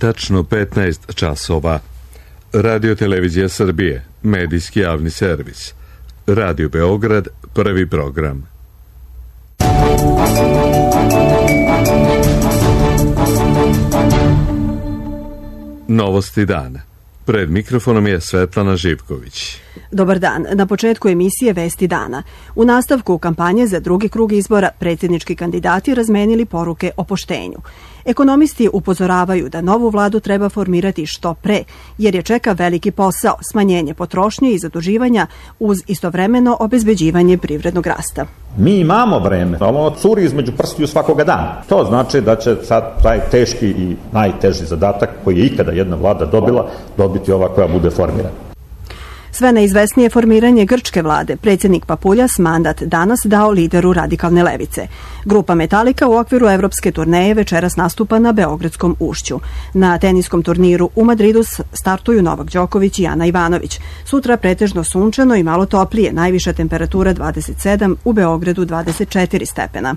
tačno 15 časova. Radio Televizija Srbije, medijski javni servis. Radio Beograd, prvi program. Novosti dana. Pred mikrofonom je Svetlana Živković. Dobar dan. Na početku emisije Vesti dana. U nastavku kampanje za drugi krug izbora predsjednički kandidati razmenili poruke o poštenju. Ekonomisti upozoravaju da novu vladu treba formirati što pre, jer je čeka veliki posao, smanjenje potrošnje i zaduživanja uz istovremeno obezbeđivanje privrednog rasta. Mi imamo vreme, ono curi između prstiju svakoga dana. To znači da će sad taj teški i najteži zadatak koji je ikada jedna vlada dobila, dobiti ova koja bude formirana. Sve neizvesnije formiranje grčke vlade, predsjednik Papuljas mandat danas dao lideru radikalne levice. Grupa Metallica u okviru evropske turneje večeras nastupa na Beogradskom ušću. Na teniskom turniru u Madridu startuju Novak Đoković i Ana Ivanović. Sutra pretežno sunčano i malo toplije, najviša temperatura 27, u Beogradu 24 stepena.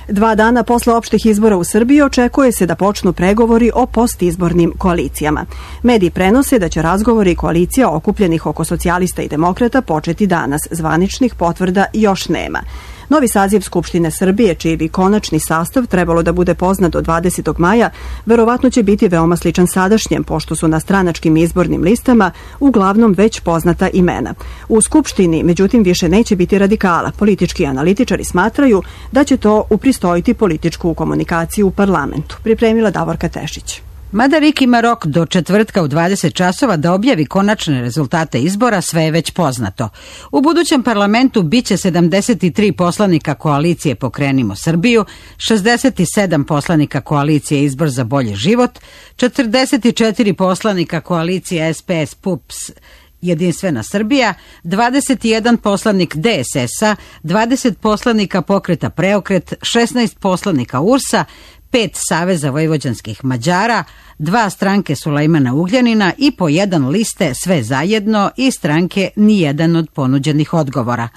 2 dana posle opštih izbora u Srbiji očekuje se da počnu pregovori o postizbornim koalicijama. Mediji prenose da će razgovori koalicija okupljenih oko socijalista i demokrata početi danas. Zvaničnih potvrda još nema. Novi saziv Skupštine Srbije, čiji bi konačni sastav trebalo da bude poznat do 20. maja, verovatno će biti veoma sličan sadašnjem, pošto su na stranačkim izbornim listama uglavnom već poznata imena. U Skupštini, međutim, više neće biti radikala. Politički analitičari smatraju da će to upristojiti političku komunikaciju u parlamentu. Pripremila Davorka Tešić. Mada RIK ima rok do četvrtka u 20 časova da objavi konačne rezultate izbora, sve je već poznato. U budućem parlamentu biće 73 poslanika koalicije Pokrenimo Srbiju, 67 poslanika koalicije Izbor za bolji život, 44 poslanika koalicije SPS PUPS Jedinstvena Srbija, 21 poslanik DSS-a, 20 poslanika Pokreta Preokret, 16 poslanika URS-a, 5 Saveza vojvođanskih Mađara, 2 stranke Sulejmana Ugljanina i po 1 liste Sve zajedno i stranke Nijedan od ponuđenih odgovora.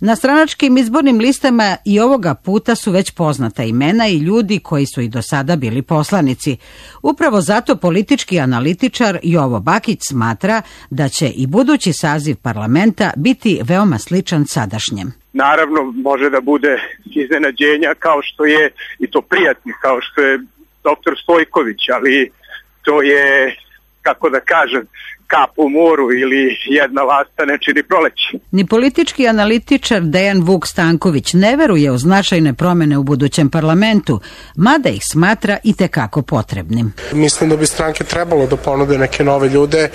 Na stranačkim izbornim listama i ovoga puta su već poznata imena i ljudi koji su i do sada bili poslanici. Upravo zato politički analitičar Jovo Bakić smatra da će i budući saziv parlamenta biti veoma sličan sadašnjem. Naravno, može da bude iznenađenja kao što je, i to prijatnih, kao što je doktor Stojković, ali to je, kako da kažem, kap u moru ili jedna lasta ne čini proleće. Ni politički analitičar Dejan Vuk Stanković ne veruje u značajne promene u budućem parlamentu, mada ih smatra i tekako potrebnim. Mislim da bi stranke trebalo da ponude neke nove ljude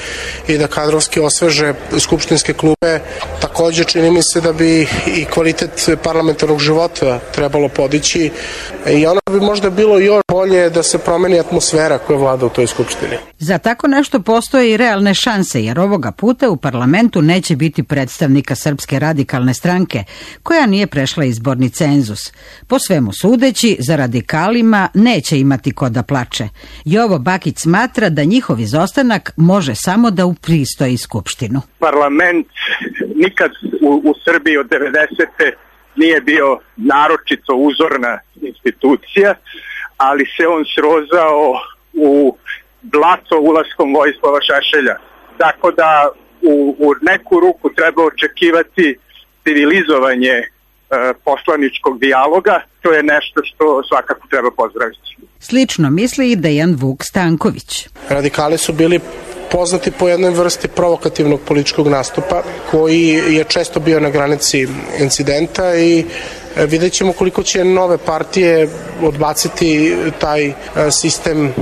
i da kadrovski osveže skupštinske klupe. Također čini mi se da bi i kvalitet parlamentarnog života trebalo podići i ono bi možda bilo još bolje da se promeni atmosfera koja vlada u toj skupštini. Za tako nešto postoje i realne šanse, jer ovoga puta u parlamentu neće biti predstavnika Srpske radikalne stranke, koja nije prešla izborni cenzus. Po svemu sudeći, za radikalima neće imati ko da plače. Jovo Bakić smatra da njihov izostanak može samo da upristoji Skupštinu. Parlament nikad u Srbiji od 90. nije bio naročito uzorna institucija, ali se on srozao u blato ulaskom Vojislava Šešelja. Tako da u neku ruku treba očekivati civilizovanje poslaničkog dijaloga. To je nešto što svakako treba pozdraviti. Slično misli i Dejan Vuk Stanković. Radikali su bili poznati po jednoj vrsti provokativnog političkog nastupa koji je često bio na granici incidenta i vidjet ćemo koliko će nove partije odbaciti taj sistem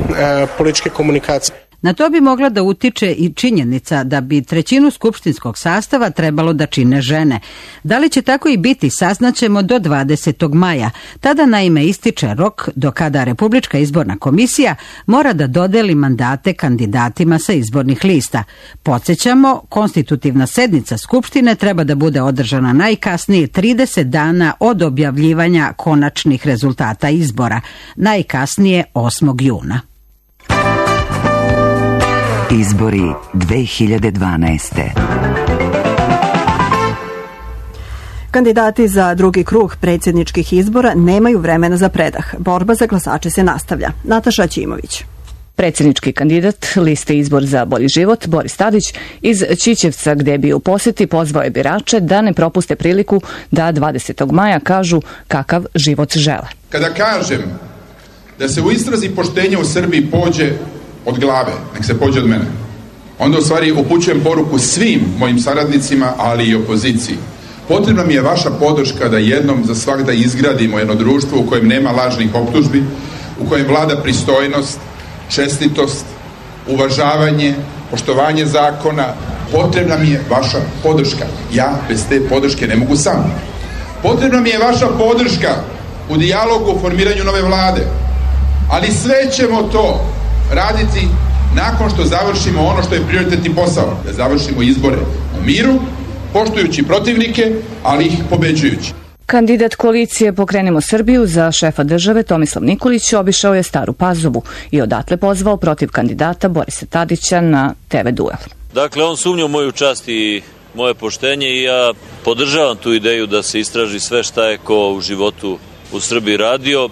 političke komunikacije. Na to bi mogla da utiče i činjenica da bi trećinu skupštinskog sastava trebalo da čine žene. Da li će tako i biti, saznaćemo do 20. maja. Tada naime ističe rok do kada Republička izborna komisija mora da dodeli mandate kandidatima sa izbornih lista. Podsjećamo, konstitutivna sednica Skupštine treba da bude održana najkasnije 30 dana od objavljivanja konačnih rezultata izbora, najkasnije 8. juna. Izbori 2012. Kandidati za drugi krug predsjedničkih izbora nemaju vremena za predah. Borba za glasače se nastavlja. Nataša Ćimović. Predsjednički kandidat liste Izbor za bolji život, Boris Tadić, iz Ćićevca, gde bi u posjeti pozvao je birače da ne propuste priliku da 20. maja kažu kakav život žele. Kada kažem da se u istrazi poštenja u Srbiji pođe od glave, nek se pođe od mene, onda u stvari upućujem poruku svim mojim saradnicima, ali i opoziciji. Potrebna mi je vaša podrška da jednom za svagda izgradimo jedno društvo u kojem nema lažnih optužbi, u kojem vlada pristojnost, čestitost, uvažavanje, poštovanje zakona. Potrebna mi je vaša podrška. Ja bez te podrške ne mogu sam. Potrebna mi je vaša podrška u dijalogu o formiranju nove vlade. Ali sve ćemo to raditi nakon što završimo ono što je prioritetni posao. Da završimo izbore u miru, poštujući protivnike, ali ih pobeđujući. Kandidat koalicije Pokrenimo Srbiju za šefa države Tomislav Nikolić obišao je Staru Pazovu i odatle pozvao protiv kandidata Borisa Tadića na TV duel. Dakle, on sumnja u moju čast i moje poštenje i ja podržavam tu ideju da se istraži sve šta je ko u životu u Srbiji radio.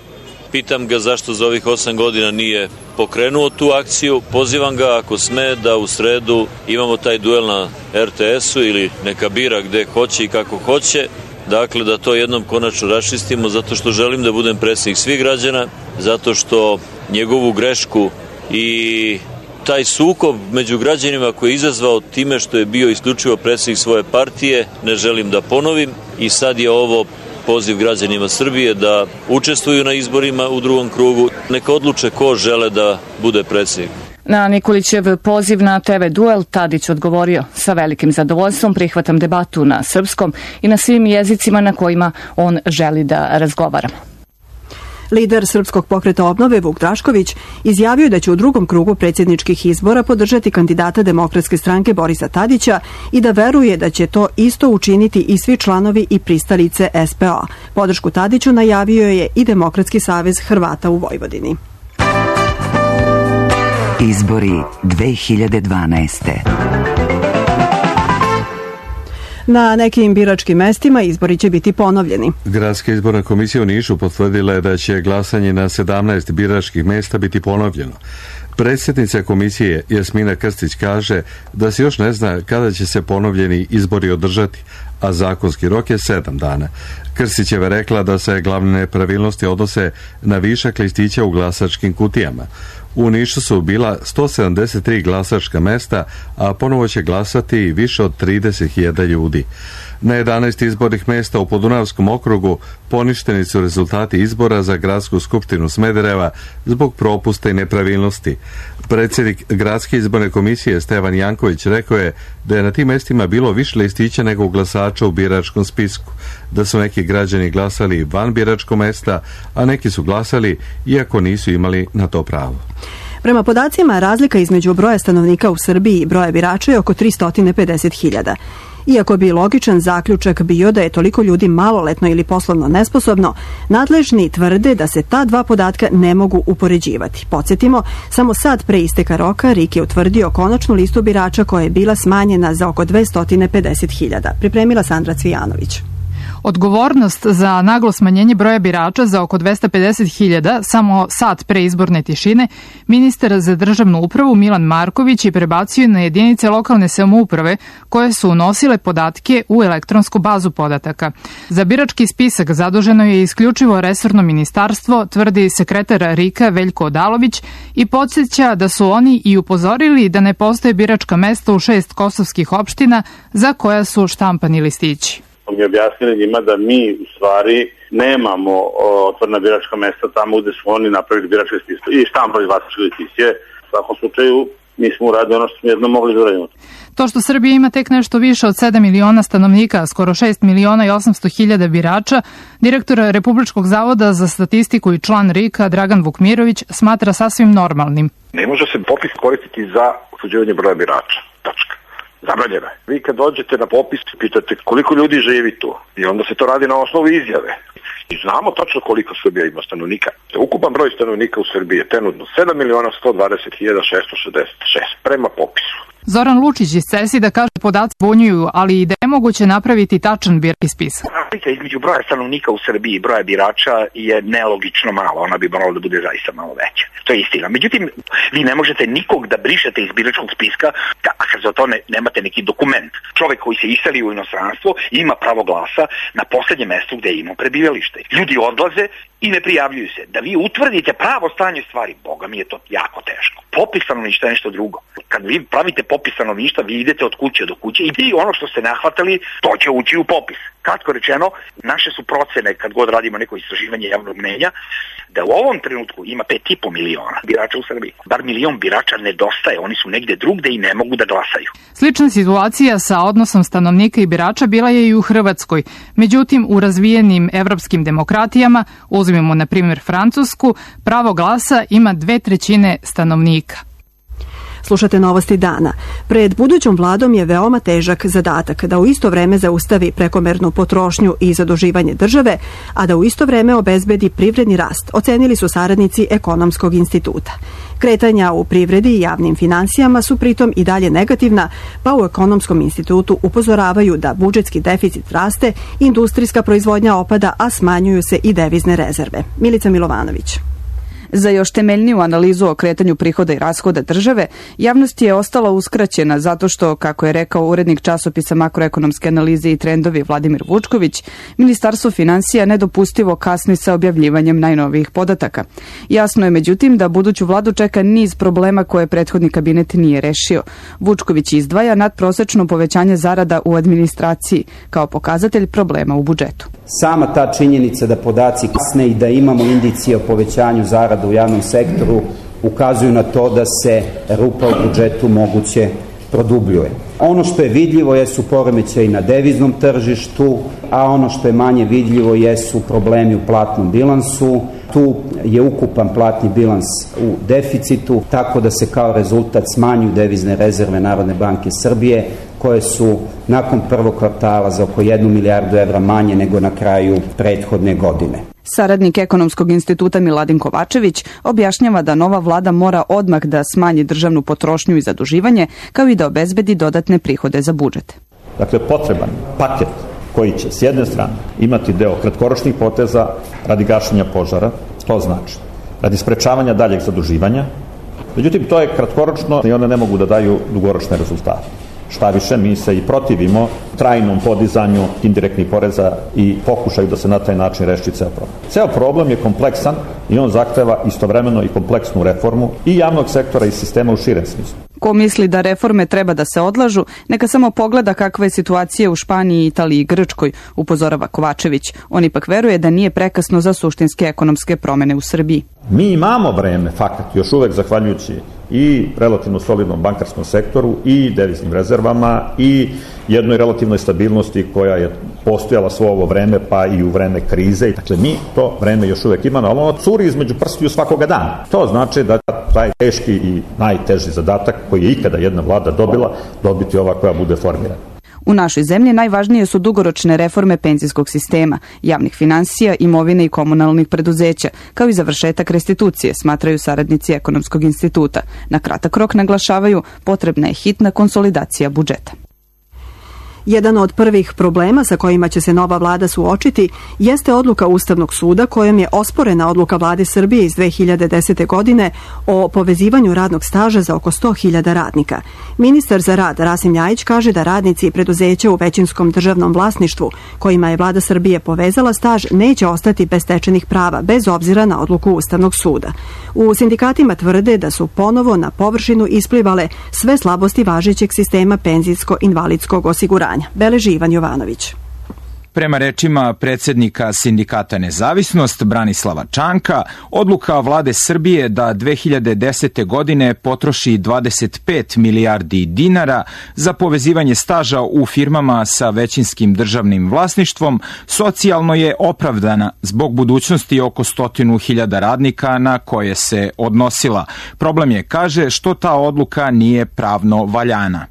Pitam ga zašto za ovih 8 godina nije pokrenuo tu akciju. Pozivam ga, ako sme, da u sredu imamo taj duel na RTS-u ili neka bira gde hoće i kako hoće. Dakle, da to jednom konačno raščistimo, zato što želim da budem predsjednik svih građana, zato što njegovu grešku i taj sukob među građanima koji je izazvao time što je bio isključivo predsjednik svoje partije, ne želim da ponovim i sad je ovo poziv građanima Srbije da učestvuju na izborima u drugom krugu, neka odluče ko žele da bude predsjednik. Na Nikolićev poziv na TV duel Tadić odgovorio: sa velikim zadovoljstvom prihvatam debatu na srpskom i na svim jezicima na kojima on želi da razgovara. Lider Srpskog pokreta obnove Vuk Drašković izjavio da će u drugom krugu predsjedničkih izbora podržati kandidata Demokratske stranke Borisa Tadića i da veruje da će to isto učiniti i svi članovi i pristalice SPO. Podršku Tadiću najavio je i Demokratski savez Hrvata u Vojvodini. Izbori 2012. Na nekim biračkim mestima izbori će biti ponovljeni. Gradska izborna komisija u Nišu potvrdila je da će glasanje na 17 biračkih mesta biti ponovljeno. Predsjednica komisije Jasmina Krstić kaže da se još ne zna kada će se ponovljeni izbori održati, a zakonski rok je 7 dana. Krstićeva rekla da se glavne nepravilnosti odnose na višak listića u glasačkim kutijama. U Nišu su bila 173 glasačka mesta, a ponovo će glasati više od 30.000 ljudi. Na 11 izbornih mesta u Podunavskom okrugu poništeni su rezultati izbora za gradsku skupštinu Smedereva zbog propusta i nepravilnosti. Predsjednik Gradske izborne komisije Stevan Janković rekao je da je na tim mestima bilo više listića nego glasača u biračkom spisku, da su neki građani glasali van biračkog mesta, a neki su glasali iako nisu imali na to pravo. Prema podacima, razlika između broja stanovnika u Srbiji i broja birača je oko 350.000. Iako bi logičan zaključak bio da je toliko ljudi maloletno ili poslovno nesposobno, nadležni tvrde da se ta dva podatka ne mogu upoređivati. Podsjetimo, samo sad pre isteka roka RIK je utvrdio konačnu listu birača koja je bila smanjena za oko 250.000. Pripremila Sandra Cvijanović. Odgovornost za naglo smanjenje broja birača za oko 250.000 samo sat pre izborne tišine ministar za državnu upravu Milan Marković je prebacio na jedinice lokalne samouprave koje su unosile podatke u elektronsku bazu podataka. Za birački spisak zaduženo je isključivo resorno ministarstvo, tvrdi sekretar RIK-a Veljko Odalović i podsjeća da su oni i upozorili da ne postoje biračka mesta u 6 kosovskih opština za koja su štampani listići. Mi objasnili njima da mi u stvari nemamo otvorena biračka mesta tamo gde su oni napravili biračke spiske i štampali glasačke listiće. U svakom slučaju mi smo uradili ono što smo jedno mogli da uradimo. To što Srbija ima tek nešto više od 7 miliona stanovnika, skoro 6.800.000 birača, direktor Republičkog zavoda za statistiku i član RIK-a Dragan Vukmirović smatra sasvim normalnim. Ne može se popis koristiti za utvrđivanje broja birača. Tačka. Zabranjeno je. Vi kad dođete na popis, pitate koliko ljudi živi tu i onda se to radi na osnovu izjave. I znamo tačno koliko Srbija ima stanovnika. Ukupan broj stanovnika u Srbiji je trenutno 7.120.666 prema popisu. Zoran Lučić iz CESID-a kaže podaci zbunjuju, ali i da je moguće napraviti tačan birački spisak. Između broja stanovnika u Srbiji i broja birača je nelogično malo, ona bi morala da bude zaista malo veća. To je istina. Međutim, vi ne možete nikog da brišete iz biračkog spiska, a kad za to nemate neki dokument. Čovek koji se iseli u inostranstvo ima pravo glasa na poslednjem mestu gde je imao prebivalište. Ljudi odlaze i ne prijavljuju se. Da vi utvrdite pravo stanje stvari, boga mi je to jako teško. Popis stanovništva je nešto drugo. Kad vi pravite popis stanovništva, vi idete od kuće do kuće i ono što ste nahvatali, to će ući u popis. Kratko rečeno, naše su procene, kad god radimo neko istraživanje javnog mnenja, da u ovom trenutku ima 5,5 miliona birača u Srbiji. Bar milion birača nedostaje, oni su negde drugde i ne mogu da glasaju. Slična situacija sa odnosom stanovnika i birača bila je i u Hrvatskoj. Međutim, u razvijenim evropskim demokratijama, uzmemo na primjer Francusku, pravo glasa ima 2/3 stanovnika. Slušate Novosti dana. Pred budućom vladom je veoma težak zadatak da u isto vreme zaustavi prekomernu potrošnju i zaduživanje države, a da u isto vreme obezbedi privredni rast, ocenili su saradnici Ekonomskog instituta. Kretanja u privredi i javnim finansijama su pritom i dalje negativna, pa u Ekonomskom institutu upozoravaju da budžetski deficit raste, industrijska proizvodnja opada, a smanjuju se i devizne rezerve. Milica Milovanović. Za još temeljniju analizu o kretanju prihoda i rashoda države, javnost je ostala uskraćena zato što, kako je rekao urednik časopisa makroekonomske analize i trendovi Vladimir Vučković, Ministarstvo finansija nedopustivo kasni sa objavljivanjem najnovijih podataka. Jasno je međutim da buduću vladu čeka niz problema koje prethodni kabinet nije rešio. Vučković izdvaja nadprosečno povećanje zarada u administraciji kao pokazatelj problema u budžetu. Sama ta činjenica da podaci kasne i da imamo indicije o povećanju zarada u javnom sektoru ukazuju na to da se rupa u budžetu moguće produbljuje. Ono što je vidljivo jesu poremećaji na deviznom tržištu, a ono što je manje vidljivo jesu problemi u platnom bilansu. Tu je ukupan platni bilans u deficitu, tako da se kao rezultat smanjuju devizne rezerve Narodne banke Srbije, koje su nakon prvog kvartala za oko 1 milijardu evra manje nego na kraju prethodne godine. Saradnik Ekonomskog instituta Miladin Kovačević objašnjava da nova vlada mora odmah da smanji državnu potrošnju i zaduživanje, kao i da obezbedi dodatne prihode za budžet. Dakle, potreban paket koji će s jedne strane imati deo kratkoročnih poteza radi gašenja požara, to znači radi sprečavanja daljeg zaduživanja. Međutim, to je kratkoročno i one ne mogu da daju dugoročne rezultate. Šta više, mi se i protivimo trajnom podizanju indirektnih poreza i pokušaju da se na taj način reši ceo problem. Ceo problem je kompleksan i on zahteva istovremeno i kompleksnu reformu i javnog sektora i sistema u širem smislu. Ko misli da reforme treba da se odlažu, neka samo pogleda kakva je situacija u Španiji, Italiji i Grčkoj, upozorava Kovačević. On ipak veruje da nije prekasno za suštinske ekonomske promene u Srbiji. Mi imamo vreme, fakat, još uvek zahvaljujući i relativno solidnom bankarskom sektoru i deviznim rezervama i jednoj relativnoj stabilnosti koja je postojala svo ovo vreme, pa i u vreme krize. Dakle, mi to vreme još uvek imamo, ali ono curi između prstiju svakoga dana. To znači da taj teški i najteži zadatak koji je ikada jedna vlada dobila, dobiti ova koja bude formirana. U našoj zemlji najvažnije su dugoročne reforme penzijskog sistema, javnih finansija, imovine i komunalnih preduzeća, kao i završetak restitucije, smatraju saradnici Ekonomskog instituta. Na kratak rok naglašavaju potrebna je hitna konsolidacija budžeta. Jedan od prvih problema sa kojima će se nova vlada suočiti jeste odluka Ustavnog suda kojom je osporena odluka vlade Srbije iz 2010. godine o povezivanju radnog staža za oko 100.000 radnika. Ministar za rad Rasim Ljajić kaže da radnici i preduzeća u većinskom državnom vlasništvu kojima je vlada Srbije povezala staž neće ostati bez stečenih prava bez obzira na odluku Ustavnog suda. U sindikatima tvrde da su ponovo na površinu isplivale sve slabosti važećeg sistema penzijsko-invalidskog osiguranja. Beleži Ivan Jovanović. Prema rečima predsjednika sindikata Nezavisnost Branislava Čanka, odluka vlade Srbije da 2010. godine potroši 25 milijardi dinara za povezivanje staža u firmama sa većinskim državnim vlasništvom socijalno je opravdana zbog budućnosti oko 100.000 radnika na koje se odnosila. Problem je, kaže, što ta odluka nije pravno valjana.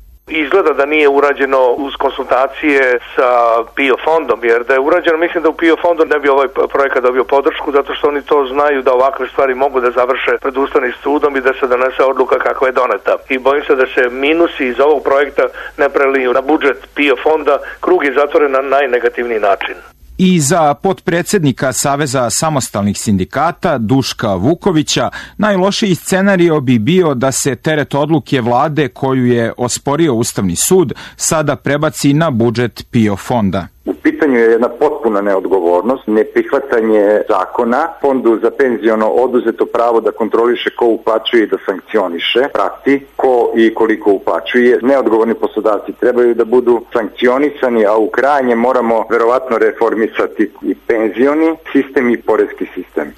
Izgleda da nije urađeno uz konsultacije sa PIO fondom, jer da je urađeno, mislim da u PIO fondu ne bi ovaj projekat dobio podršku, zato što oni to znaju da ovakve stvari mogu da završe pred Ustavnim sudom i da se donese odluka kakva je doneta. I bojim se da se minusi iz ovog projekta ne preliju na budžet PIO fonda, krug je zatvoren na najnegativniji način. I za potpredsednika Saveza samostalnih sindikata Duška Vukovića najlošiji scenario bi bio da se teret odluke vlade koju je osporio Ustavni sud sada prebaci na budžet PIO fonda. U pitanju je jedna potpuna neodgovornost, neprihvatanje zakona, fondu za penziono oduzeto pravo da kontroliše ko uplaćuje i da sankcioniše, prati ko i koliko uplaćuje. Neodgovorni poslodavci trebaju da budu sankcionisani, a u krajnje moramo verovatno reformisati i penzioni sistem i poreski sistem.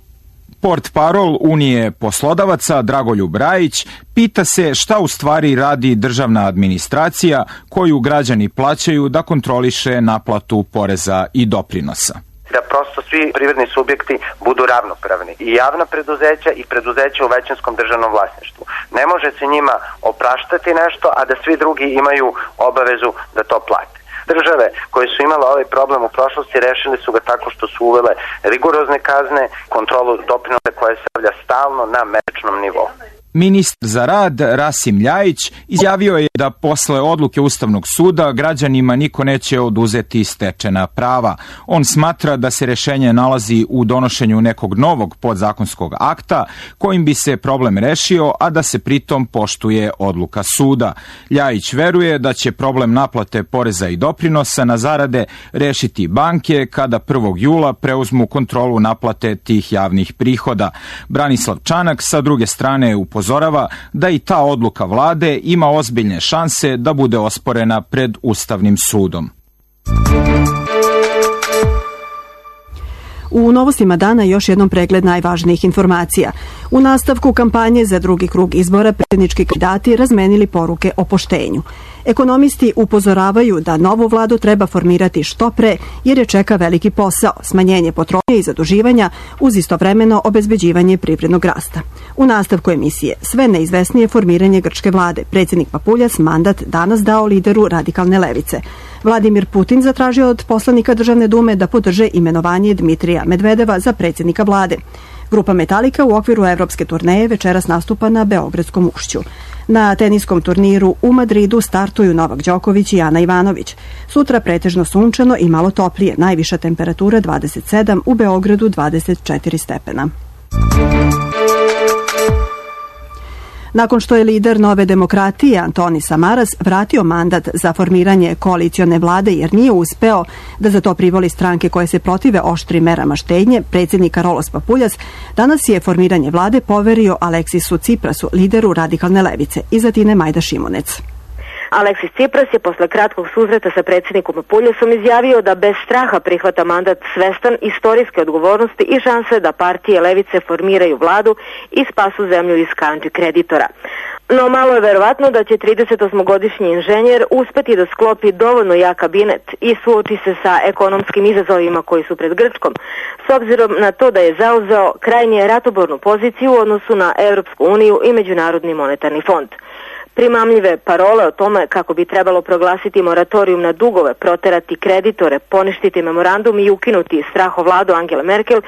Portparol Unije poslodavaca Dragoljub Rajić pita se šta u stvari radi državna administracija koju građani plaćaju da kontroliše naplatu poreza i doprinosa. Da prosto svi privredni subjekti budu ravnopravni, i javna preduzeća i preduzeća u većinskom državnom vlasništvu. Ne može se njima opraštati nešto, a da svi drugi imaju obavezu da to plate. Države koje su imale ovaj problem u prošlosti rešili su ga tako što su uvele rigorozne kazne, kontrolu doprinosa koja se stavlja stalno na mesečnom nivou. Ministar za rad Rasim Ljajić izjavio je da posle odluke Ustavnog suda građanima niko neće oduzeti stečena prava. On smatra da se rešenje nalazi u donošenju nekog novog podzakonskog akta kojim bi se problem rešio, a da se pritom poštuje odluka suda. Ljajić veruje da će problem naplate poreza i doprinosa na zarade rešiti banke kada 1. jula preuzmu kontrolu naplate tih javnih prihoda. Branislav Čanak sa druge strane upozorava da i ta odluka vlade ima ozbiljne šanse da bude osporena pred Ustavnim sudom. U novostima dana još jednom pregled najvažnijih informacija. U nastavku kampanje za drugi krug izbora predsjednički kandidati razmenili poruke o poštenju. Ekonomisti upozoravaju da novu vladu treba formirati što pre jer je čeka veliki posao, smanjenje potrošnje i zaduživanja uz istovremeno obezbeđivanje privrednog rasta. U nastavku emisije sve neizvesnije formiranje grčke vlade. Predsjednik Papuljas mandat danas dao lideru radikalne levice. Vladimir Putin zatražio od poslanika Državne dume da podrže imenovanje Dmitrija Medvedeva za predsjednika vlade. Grupa Metallica u okviru evropske turneje večeras nastupa na Beogradskom ušću. Na teniskom turniru u Madridu startuju Novak Đoković i Ana Ivanović. Sutra pretežno sunčano i malo toplije, najviša temperatura 27, u Beogradu 24 stepena. Nakon što je lider Nove demokratije Antoni Samaras vratio mandat za formiranje koalicione vlade jer nije uspeo da za to privoli stranke koje se protive oštrim merama štednje, predsjednik Karolos Papuljas danas je formiranje vlade poverio Aleksisu Ciprasu, lideru radikalne levice, i Zatine Majda Šimunec. Aleksis Cipras je posle kratkog susreta sa predsjednikom Papuljasom izjavio da bez straha prihvata mandat svestan istorijske odgovornosti i šanse da partije levice formiraju vladu i spasu zemlju iz kanči kreditora. No malo je verovatno da će 38-godišnji inženjer uspeti da sklopi dovoljno jak kabinet i suoči se sa ekonomskim izazovima koji su pred Grčkom, s obzirom na to da je zauzeo krajnje ratobornu poziciju u odnosu na Europsku uniju i Međunarodni monetarni fond. Primamljive parole o tome kako bi trebalo proglasiti moratorijum na dugove, proterati kreditore, poništiti memorandum i ukinuti strahovladu Angele Merkel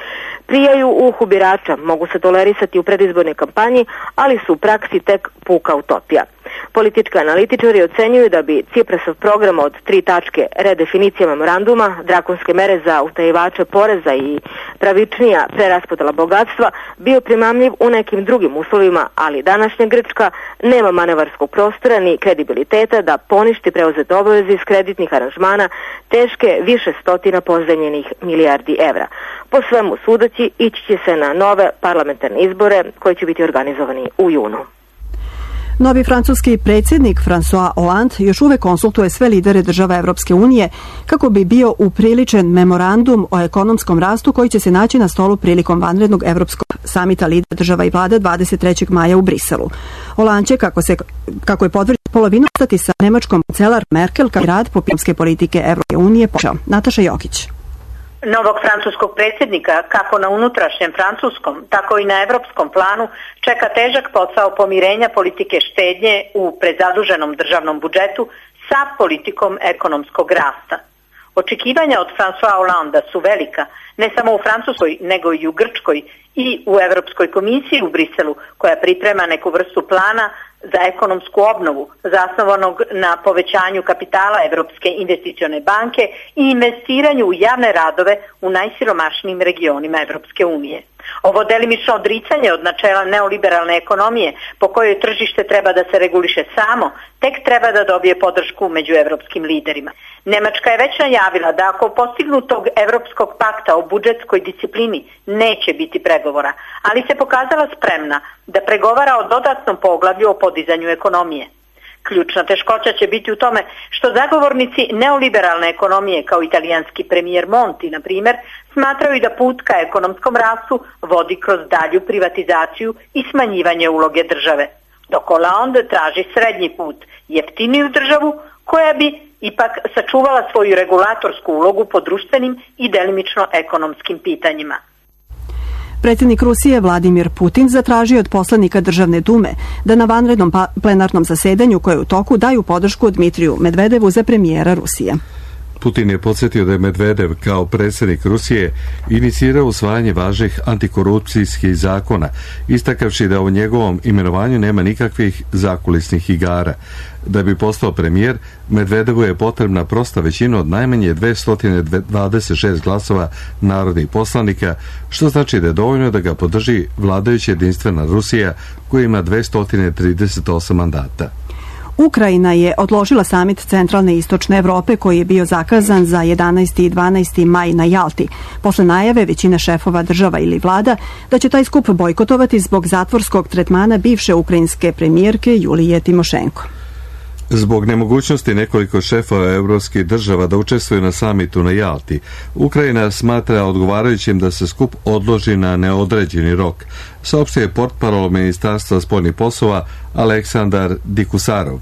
prijaju uhu birača, mogu se tolerisati u predizbornoj kampanji, ali su u praksi tek puka utopija. Politički analitičari ocenjuju da bi Ciprasov program od 3 tačke, redefinicija memoranduma, drakonske mere za utajivače poreza i pravičnija preraspodela bogatstva bio primamljiv u nekim drugim uslovima, ali današnja Grčka nema manevarskog prostora ni kredibiliteta da poništi preuzete obaveze iz kreditnih aranžmana teške više stotina pozajmljenih milijardi evra. Po svemu sudeći ići će se na nove parlamentarne izbore koji će biti organizovani u junu. Novi francuski predsjednik François Hollande još uvek konsultuje sve lidere država Evropske unije kako bi bio upriličen memorandum o ekonomskom rastu koji će se naći na stolu prilikom vanrednog evropskog samita lidera država i vlada 23. maja u Briselu. Hollande će, kako je potvrđeno, polovinu ostati sa nemačkom kancelar Merkel kao rad po ekonomske politike Evropske unije počeo. Nataša Jokić. Novog francuskog predsjednika, kako na unutrašnjem francuskom, tako i na evropskom planu, čeka težak posao pomirenja politike štednje u prezaduženom državnom budžetu sa politikom ekonomskog rasta. Očekivanja od François Hollanda su velika, ne samo u Francuskoj, nego i u Grčkoj i u Evropskoj komisiji u Briselu, koja priprema neku vrstu plana za ekonomsku obnovu zasnovanog na povećanju kapitala Evropske investicione banke i investiranju u javne radove u najsiromašnijim regionima Evropske unije. Ovo delimično odricanje od načela neoliberalne ekonomije po kojoj tržište treba da se reguliše samo, tek treba da dobije podršku među evropskim liderima. Nemačka je već najavila da ako postignutog Evropskog pakta o budžetskoj disciplini neće biti pregovora, ali se pokazala spremna da pregovara o dodatnom poglavlju o podizanju ekonomije. Ključna teškoća će biti u tome što zagovornici neoliberalne ekonomije kao italijanski premijer Monti, na primjer, smatraju da put ka ekonomskom rastu vodi kroz dalju privatizaciju i smanjivanje uloge države, dok Hollande traži srednji put, jeftiniju državu koja bi ipak sačuvala svoju regulatorsku ulogu po društvenim i delimično ekonomskim pitanjima. Predsjednik Rusije Vladimir Putin zatražio od poslanika Državne dume da na vanrednom plenarnom zasedanju koje je u toku daju podršku Dmitriju Medvedevu za premijera Rusije. Putin je podsjetio da je Medvedev kao predsjednik Rusije inicirao usvajanje važnih antikorupcijskih zakona, istakavši da u njegovom imenovanju nema nikakvih zakulisnih igara. Da bi postao premijer, Medvedevu je potrebna prosta većina od najmanje 226 glasova narodnih poslanika, što znači da je dovoljno da ga podrži vladajuća jedinstvena Rusija koja ima 238 mandata. Ukrajina je odložila samit Centralne i Istočne Evrope koji je bio zakazan za 11. i 12. maj na Jalti, posle najave većine šefova država ili vlada da će taj skup bojkotovati zbog zatvorskog tretmana bivše ukrajinske premijerke Julije Timošenko. Zbog nemogućnosti nekoliko šefova evropskih država da učestvuju na samitu na Jalti, Ukrajina smatra odgovarajućim da se skup odloži na neodređeni rok, saopštio je portparol Ministarstva spoljnih poslova Aleksandar Dikusarov.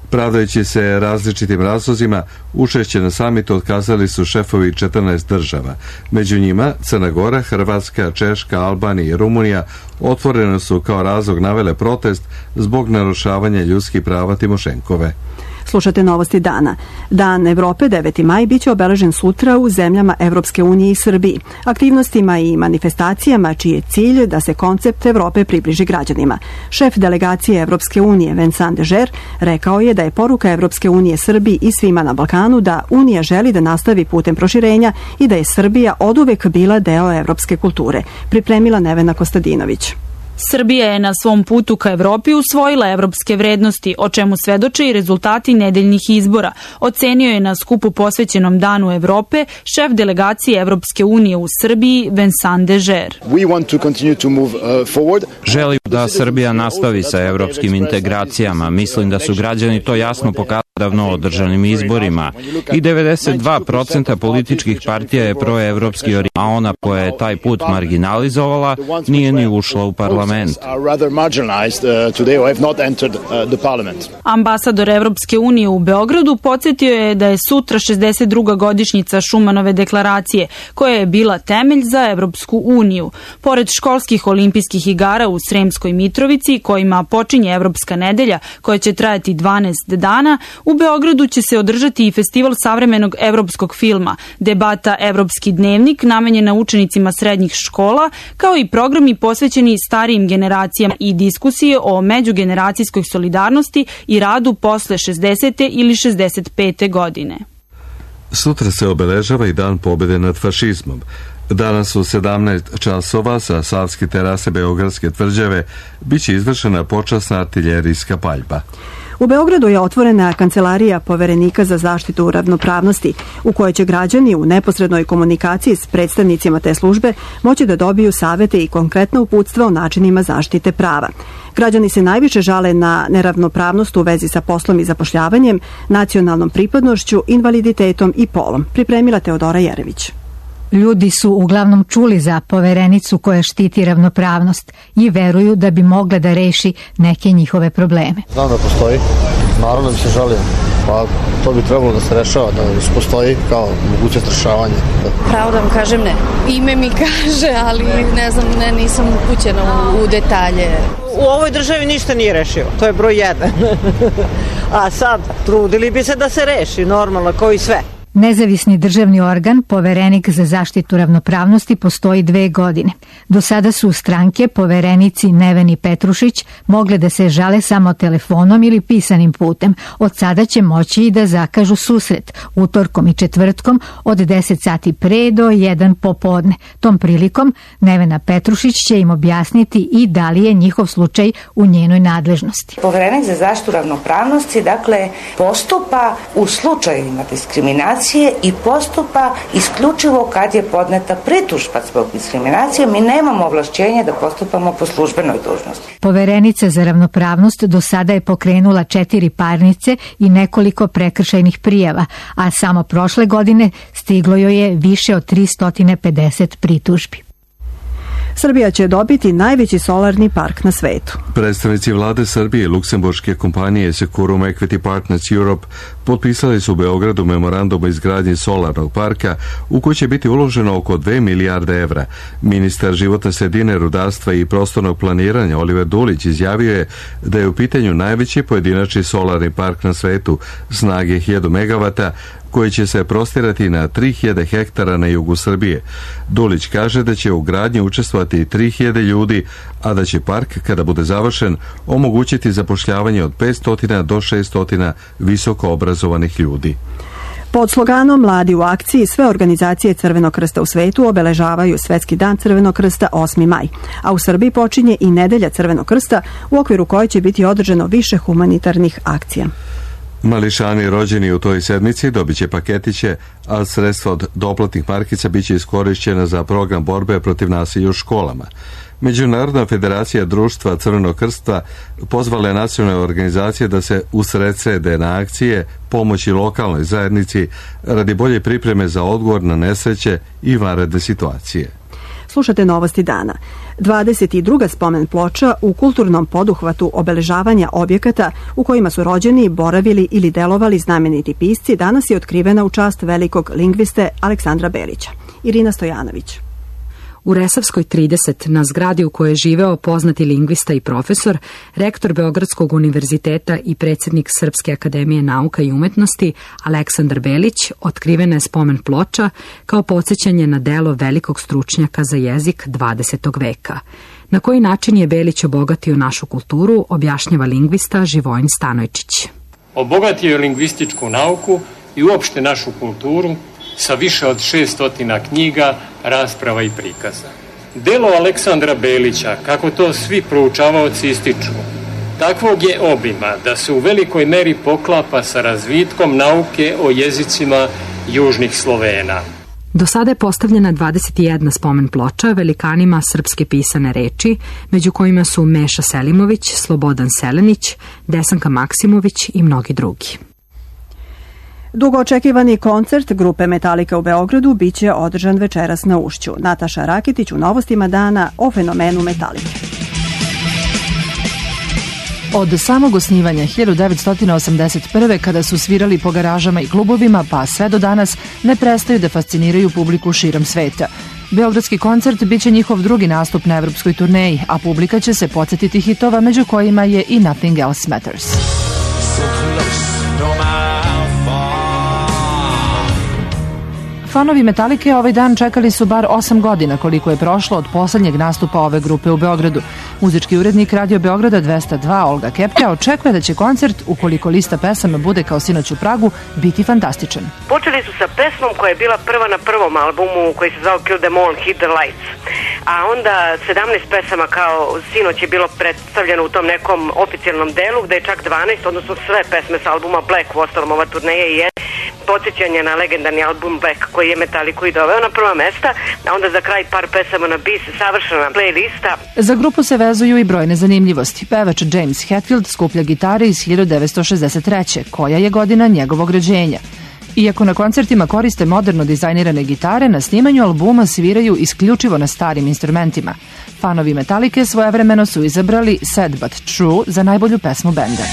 Pravdajući se različitim razlozima, učešće na samitu otkazali su šefovi 14 država. Među njima Crna Gora, Hrvatska, Češka, Albanija i Rumunija otvoreno su kao razlog navele protest zbog narušavanja ljudskih prava Timošenkove. Slušate novosti dana. Dan Evrope 9. maj biće obeležen sutra u zemljama Evropske unije i Srbiji, aktivnostima i manifestacijama čiji je cilj da se koncept Evrope približi građanima. Šef delegacije Evropske unije Vincent Dežer rekao je da je poruka Evropske unije Srbiji i svima na Balkanu da Unija želi da nastavi putem proširenja i da je Srbija oduvek bila deo evropske kulture. Pripremila Nevena Kostadinović. Srbija je na svom putu ka Evropi usvojila evropske vrednosti, o čemu svedoče i rezultati nedeljnih izbora. Ocenio je na skupu posvećenom Danu Evrope šef delegacije Evropske unije u Srbiji Vincent Dežer. Želim da Srbija nastavi sa evropskim integracijama. Mislim da su građani to jasno pokazali davno održanim izborima i 92% političkih partija je proevropski orijentiran, a ona koja je taj put marginalizovala nije ni ušla u parlament. Ambasador Evropske unije u Beogradu podsjetio je da je sutra 62. godišnjica Šumanove deklaracije, koja je bila temelj za Evropsku uniju. Pored školskih olimpijskih igara u Sremskoj Mitrovici, kojima počinje Evropska nedelja, koja će trajati 12 dana, u Beogradu će se održati i festival savremenog evropskog filma, debata Evropski dnevnik namenjena učenicima srednjih škola, kao i programi posvećeni starijim generacijama i diskusije o međugeneracijskoj solidarnosti i radu posle 60. ili 65. godine. Sutra se obeležava i Dan pobjede nad fašizmom. Danas u 17 časova sa Savske terase Beogradske tvrđave biće izvršena počasna artiljerijska paljba. U Beogradu je otvorena kancelarija Poverenika za zaštitu ravnopravnosti, u kojoj će građani u neposrednoj komunikaciji s predstavnicima te službe moći da dobiju savete i konkretna uputstva o načinima zaštite prava. Građani se najviše žale na neravnopravnost u vezi sa poslom i zapošljavanjem, nacionalnom pripadnošću, invaliditetom i polom. Pripremila Teodora Jerević. Ljudi su uglavnom čuli za Poverenicu koja štiti ravnopravnost i veruju da bi mogla da reši neke njihove probleme. Znam da postoji, naravno bi se žalio, pa to bi trebalo da se rešava, da postoji kao mogućnost rešavanja. Pravo da vam kažem ne. Ime mi kaže, ali ne znam, nisam upućena u detalje. U ovoj državi ništa nije rešio, to je broj 1. A sad, trudili bi se da se reši, normalno, kao i sve. Nezavisni državni organ, Poverenik za zaštitu ravnopravnosti, postoji 2 godine. Do sada su stranke, poverenici Neveni Petrušić, mogle da se žale samo telefonom ili pisanim putem. Od sada će moći i da zakažu susret utorkom i četvrtkom od 10 sati pre do 1 popodne. Tom prilikom Nevena Petrušić će im objasniti i da li je njihov slučaj u njenoj nadležnosti. Poverenik za zaštitu ravnopravnosti, dakle, postupa u slučajevima diskriminacije i postupa isključivo kad je podneta pritužba zbog diskriminacije. Mi nemamo ovlašćenje da postupamo po službenoj dužnosti. Poverenica za ravnopravnost do sada je pokrenula 4 parnice i nekoliko prekršajnih prijava, a samo prošle godine stiglo joj je više od 350 pritužbi. Srbija će dobiti najveći solarni park na svetu. Predstavnici vlade Srbije i luksemburške kompanije Securum Equity Partners Europe potpisali su u Beogradu memorandum o izgradnji solarnog parka u koji će biti uloženo oko 2 milijarde evra. Ministar životne sredine, rudarstva i prostornog planiranja Oliver Dulić izjavio je da je u pitanju najveći pojedinačni solarni park na svetu snage 1000 megavata koji će se prostirati na 3000 hektara na jugu Srbije. Dulić kaže da će u gradnji učestvovati 3000 ljudi, a da će park, kada bude završen, omogućiti zapošljavanje od 500 do 600 visoko obrazovanih ljudi. Pod sloganom Mladi u akciji sve organizacije Crvenog krsta u svetu obeležavaju Svetski dan Crvenog krsta 8. maj, a u Srbiji počinje i Nedelja Crvenog krsta u okviru koje će biti održano više humanitarnih akcija. Mališani rođeni u toj sedmici dobit će paketiće, a sredstva od doplatnih markica bit će iskorišćena za program borbe protiv nasilja u školama. Međunarodna federacija društva Crvenog krsta pozvala je nacionalne organizacije da se usredsrede na akcije pomoći lokalnoj zajednici radi bolje pripreme za odgovor na nesreće i vanredne situacije. Slušate Novosti dana. 22. spomen ploča u kulturnom poduhvatu obeležavanja objekata u kojima su rođeni, boravili ili delovali znameniti pisci danas je otkrivena u čast velikog lingviste Aleksandra Belića. Irina Stojanović. U Resavskoj 30, na zgradi u kojoj je živeo poznati lingvista i profesor, rektor Beogradskog univerziteta i predsjednik Srpske akademije nauka i umetnosti Aleksandar Belić, otkrivena je spomen ploča kao podsjećanje na delo velikog stručnjaka za jezik 20. veka. Na koji način je Belić obogatio našu kulturu, objašnjava lingvista Živojin Stanojčić. Obogatio je lingvističku nauku i uopšte našu kulturu sa više od 600 knjiga, rasprava i prikaza. Delo Aleksandra Belića, kako to svi proučavaoci ističu, takvog je obima da se u velikoj meri poklapa sa razvitkom nauke o jezicima južnih Slovena. Do sada je postavljena 21 spomen ploča velikanima srpske pisane reči, među kojima su Meša Selimović, Slobodan Selenić, Desanka Maksimović i mnogi drugi. Dugo očekivani koncert grupe Metallica u Beogradu biće održan večeras na Ušću. Nataša Rakitić u Novostima dana o fenomenu Metallica. Od samog osnivanja 1981. kada su svirali po garažama i klubovima, pa sve do danas ne prestaju da fasciniraju publiku širom sveta. Beogradski koncert biće njihov drugi nastup na evropskoj turneji, a publika će se podsjetiti hitova među kojima je i Nothing Else Matters. Fanovi Metalike ovaj dan čekali su bar 8 godina koliko je prošlo od poslednjeg nastupa ove grupe u Beogradu. Muzički urednik Radio Beograda 202 Olga Kepka očekuje da će koncert, ukoliko lista pesama bude kao sinoć u Pragu, biti fantastičan. Počeli su sa pesmom koja je bila prva na prvom albumu koji se zvao Kill Them All, Hit the Lights. A onda 17 pesama kao sinoć je bilo predstavljeno u tom nekom oficijalnom delu gde je čak 12, odnosno sve pesme sa albuma Black, u ostalom ova turneja je podsjećanje na legendarni album Black koji je Metallicu i doveo na prva mesta, a onda za kraj par pesama na bis, savršena playlista. Za grupu se vezuju i brojne zanimljivosti. Pevač James Hetfield skuplja gitare iz 1963. koja je godina njegovog rođenja. Iako na koncertima koriste moderno dizajnirane gitare, na snimanju albuma sviraju isključivo na starim instrumentima. Fanovi Metallike svojevremeno su izabrali Sad But True za najbolju pesmu benda.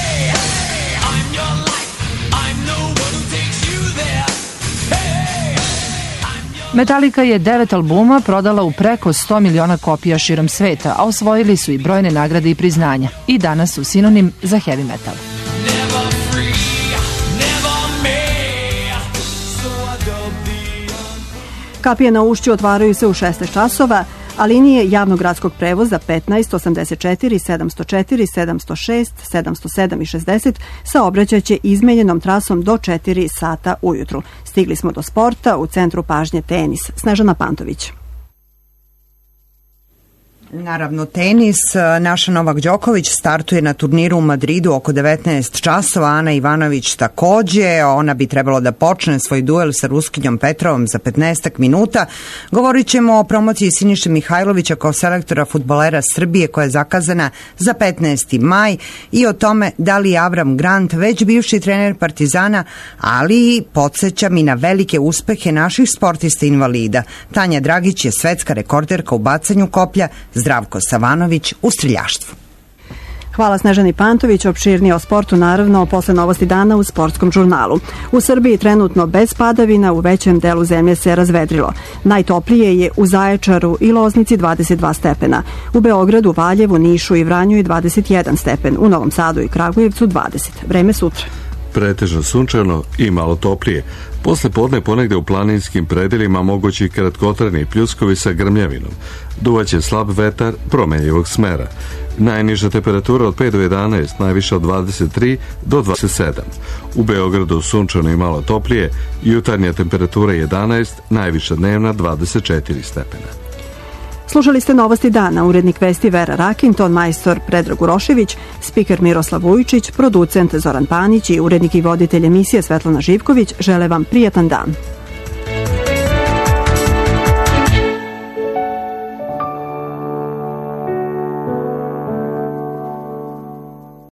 Metallica je 9 albuma prodala u preko 100 miliona kopija širom sveta, a osvojili su i brojne nagrade i priznanja. I danas su sinonim za heavy metal. Kapije na Ušću otvaraju se u 16 časova, a linije javnog gradskog prevoza 15, 84, 704, 706, 707 i 60 saobraćaće izmenjenom trasom do 4 sata ujutru. Stigli smo do sporta, u centru pažnje tenis. Snežana Pantović. Naravno, tenis. Naša Novak Đoković startuje na turniru u Madridu oko 19 časova. Ana Ivanović takođe. Ona bi trebalo da počne svoj duel sa Ruskinjom Petrovom za 15 minuta. Govorit ćemo o promociji Siniše Mihajlovića kao selektora fudbalera Srbije koja je zakazana za 15. maj i o tome da li je Avram Grant već bivši trener Partizana, ali podsjećam i na velike uspehe naših sportista invalida. Tanja Dragić je svetska rekorderka u bacanju koplja, Zdravko Savanović u streljaštvu. Hvala Snežani Pantović, opširnije o sportu naravno posle novosti dana u Sportskom žurnalu. U Srbiji trenutno bez padavina, u većem delu zemlje se razvedrilo. Najtoplije je u Zaječaru i Loznici 22 stepena. U Beogradu, Valjevu, Nišu i Vranju je 21 stepen. U Novom Sadu i Kragujevcu 20. Vreme sutra. Pretežno sunčano i malo toplije. Posle podne ponegde u planinskim predelima mogući kratkotrajni pljuskovi sa grmljavinom. Duvaće slab vetar promenjivog smera. Najniža temperatura od 5 do 11, najviša od 23 do 27. U Beogradu sunčano i malo toplije, jutarnja temperatura 11, najviša dnevna 24 stepena. Slušali ste novosti dana, urednik vesti Vera Rakin, ton majstor Predrag Urošević, spiker Miroslav Vujičić, producent Zoran Panić i urednik i voditelj emisije Svetlana Živković žele vam prijatan dan.